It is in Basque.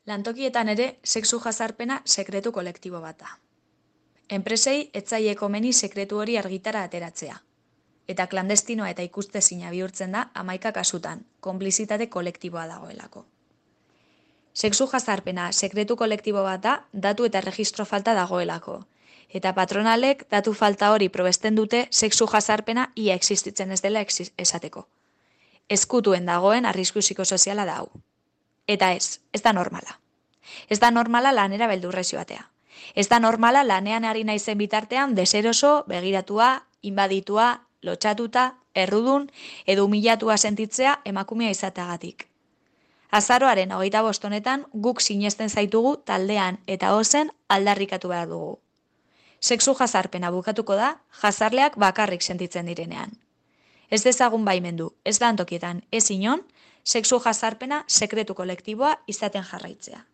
Lantokietan ere sexu jazarpena sekretu kolektibo bat da. Enpresei ez zaie komeni sekretu hori argitara ateratzea. Eta klandestinoa eta ikustezina bihurtzen da 11 kasutan, konplizitate kolektiboa dagoelako. Sexu jazarpena sekretu kolektibo bat da, datu eta erregistro falta dagoelako. Eta patronalek datu falta hori probesten dute sexu jazarpena ia existitzen ez dela esateko. Ezkutuen dagoen arrisku psikosoziala da hau. Eta ez da normala. Ez da normala lanera beldurrez joatea. Ez da normala lanean ari naizen bitartean deseroso, begiratua, inbaditua, lotxatuta, errudun edo humilatua sentitzea emakumea izateagatik. Azaroaren 25 honetan guk sinesten zaitugu taldean eta ozen aldarrikatu behar dugu. Sexu jazarpena bukatuko da, jazarleak bakarrik sentitzen direnean. Ez dezagun baimendu, ez lantokietan, ez inon, sexu jazarpena sekretu kolektiboa izaten jarraitzea.